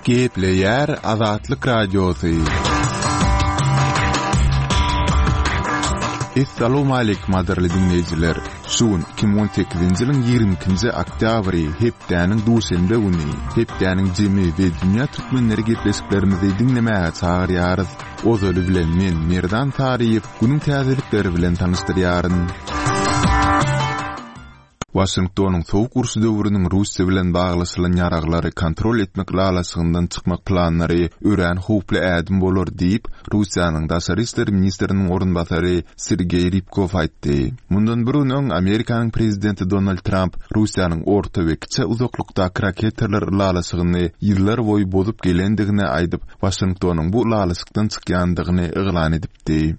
Gepleýär Azatlyk Radiosy. Essalawmaleýkim gadyrly diňleýjiler! Şu gün 2018-nji ýylyň 22-nji oktýabry, hepdäniň duşenbe güni. Hepdäniň jemi we dünýä türkmenleri gepleşiklerimizi diňlemäge çagyrýarys. Ozaly bilen men, Merdan Saryýew, günüň täzelikleri bilen tanyşdyrýaryn. Waşingtonyň Sowuk uruş döwrüniň Russiýa bilen baglaşylan ýaraglary kontrol etmek ylalaşygyndan çykmak planlary örän howply ädim bolar diýip, Russiýanyň daşary işler ministriniň orunbasary Sergeý Rybkow aýtdy. Mundan bir gün öň Amerikanyň prezidenti Donald Tramp Russiýanyň orta we kiçi uzaklykdaky raketalar ylalaşygyny ýyllar boýy bozup gelendigini aýdyp, Waşingtonyň bu ylalaşykdan çykýandygyny yglan edipdi.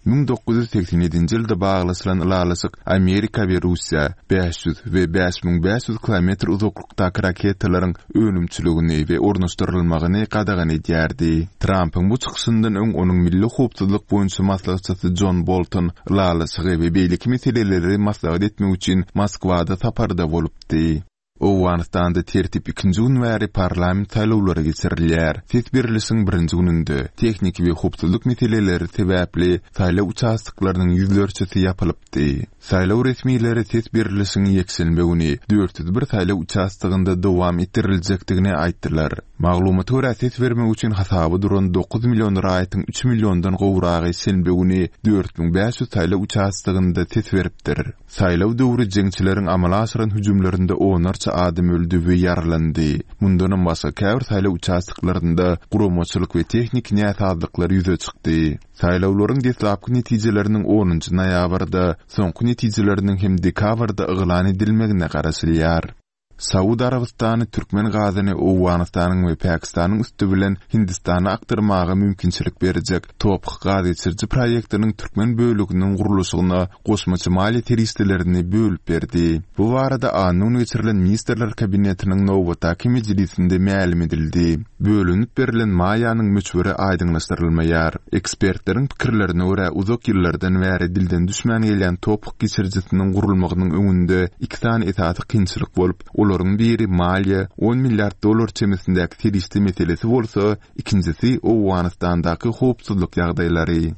1987-nji ýylda baglaşylan ylalaşyk Amerika we Russiýa 500 we 5500 kilometr uzaklykdaky raketalaryň önümçiligini we ornaşdyrylmagyny gadagan edýärdi. Trampyň bu çykyşyndan öň onuň milli howpsuzlyk boýunça maslahatçysy Jon Bolton ylalaşygy we beýleki meseleleri maslahat etmek üçin Moskwada saparda bolupdy. Owganystanda tertip ikinji gün bäri parlament saýlawlary geçirilýär. Ses berlişiň birinji gününde, tehniki we howpsuzlyk meseleleri sebäpli saýlaw uçastoklarynyň ýüzlerçesi ýapylypdy. Saýlaw resmileri ses berlişiň ýekşenbe güni 401 saýlaw uçastogynda dowam etdiriljekdigini aýtdylar. Maglumata görä, ses bermek üçin hasaba duran dokuz million raýatyň üç milliondan gowragy şenbe güni 4500 saýlaw uçastogynda ses beripdir. Saýlaw döwri jeňçileriň amala aşyran hüjümlerinde onlarça adam öldi we ýaralandy. Mundanam başga, käbir saýlaw uçastoklarynda guramaçylyk we tehniki näsazlyklar ýüze çykdy. Saýlawlaryň deslapky netijeleriniň onunjy noýabrda, soňky netijeleriniň hem dekabrda yglan edilmegine garaşylýar. Saud Arabystany türkmen gazyny Owganystanyň we Pakistanyň üsti bilen Hindistana akdyrmaga mümkinçilik berjek Toph gazgeçiriji proýektiniň türkmen böleginiň gurluşygyna goşmaça maliýe serişdelerini bölüp berdi. Bu barada anna güni geçirilen Ministrler Kabinetiniň nobatdaky mejlisinde mälim edildi. Bölünip berlen maýanyň möçberi aýdyňlaşdyrylmaýar. Ekspertleriň pikirlerine görä, uzak ýyllardan bäri dilden düşmän gelýän Toph geçirijisiniň gurulmagynyň öňünde iki sany esasy kynçylyk bolup, olaryň biri maliýe, on milliard dollar çemesindäki serişde meselesi bolsa, ikinjisi Owganystandaky howpsuzlyk ýagdaýlary.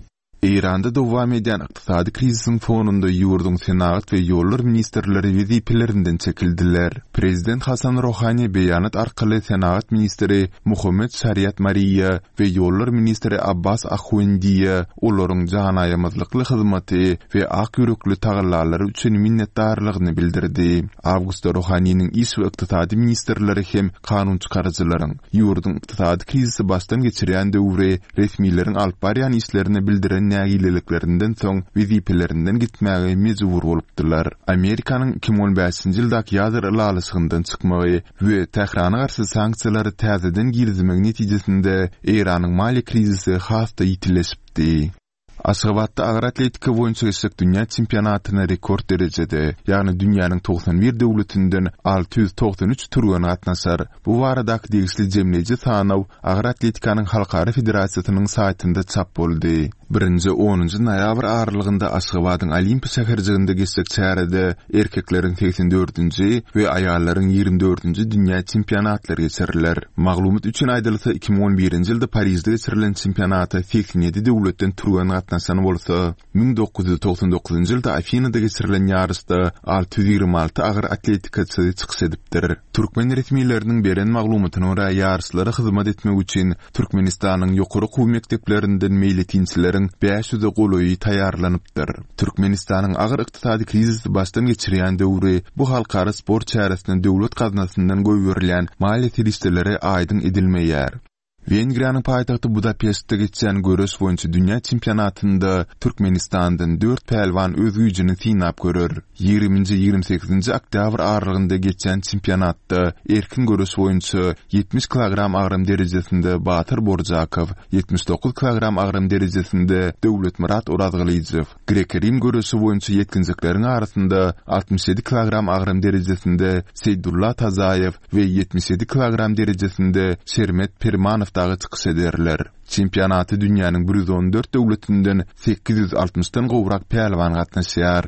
Eýranda dowam edýän ykdysady krizisiň fonunda ýurduň senagat we ýollar ministrleri wezipelerinden çekildiler. Prezident Hasan Rohani beýanat arkaly senagat ministri Muhammet Şariat Mariýa we ýollar ministri Abbas Ahuendiýa olaryň janaýamazlykly hyzmaty we ak ýürekli tagallalary üçin minnetdarlygyny bildirdi. Awgustda Rohaniniň iş we ykdysady ministrleri hem kanunçykaryjylaryň ýurduň ykdysady krizisi başdan geçirýän döwri resmileriň alyp barýan işlerine bildiren nägileliklerinden soň wezipelerinden gitmäge mejbur bolupdylar. Amerikanyň 2015-nji ýyldaky ýadro ylalaşygyndan çykmagy we Tährana garşy sanksiýalary täzeden girizmegi netijesinde Eýranyň maliýe krizisi has-da ýitileşipdi. Aşgabatda agyr atletika boýunça geçjek dünýä çempionatyna rekord derejede, ýagny dünýäniň 91 döwletinden 693 türgen gatnaşar. Bu baradaky degişli jemleýji sanaw Agyr atletikanyň halkara federasiýasynyň saýtynda çap boldy. Birinji, onunjy noýabr aralygynda Aşgabadyň Olimpiýa şäherjiginde geçjek çärede erkekleriň segsen dördünji we aýallaryň ýigrimi dördünji dünýä çempionatlary geçiriler. Maglumat üçin aýdylsa, 2011-nji ýylda Parižde geçirilen çempionata 87 döwletden türgen gatnaşan bolsa, 1999-njy ýylda Afinada geçirilen ýaryşda 626 agyr atletikaçy çykyş edipdir. Türkmen resmileriniň beren maglumatyna görä, ýaryşlara hyzmat etmek üçin Türkmenistanyň ýokary okuw mekdeplerinden meýletinçileriň bäş ýüze golaýy taýýarlanypdyr. Türkmenistanyň agyr ykdysady krizisi başdan geçirýän döwri bu halkara sport çäresine döwlet gaznasyndan goýberilýän maliýe serişdeleri aýdyň edilmeýär. Wengriýanyň paýtagty Budapeştde geçýän göreş boýunça dünýä çempionatynda Türkmenistandan dört pälwan öz güýjüni synap görer. Ýigriminji, ýigrimi sekizinji oktýabr aralygynda geçýän çempionatda erkin göreş boýunça 70 kilogram agram derejesinde Batyr Borjakow, 79 kilogram agram derejesinde Döwletmyrat Orazgylyjow, grek-rim göreşi boýunça ýetginjekleriň arasynda 67 kilogram agram derejesinde Seýdulla Tazaýew we 77 kilogram derejesinde Şermet Permanow dagy çykyş ederler. Çempionata dünýäniň 114 döwletinden 860-dan gowrak pälwan gatnaşýar.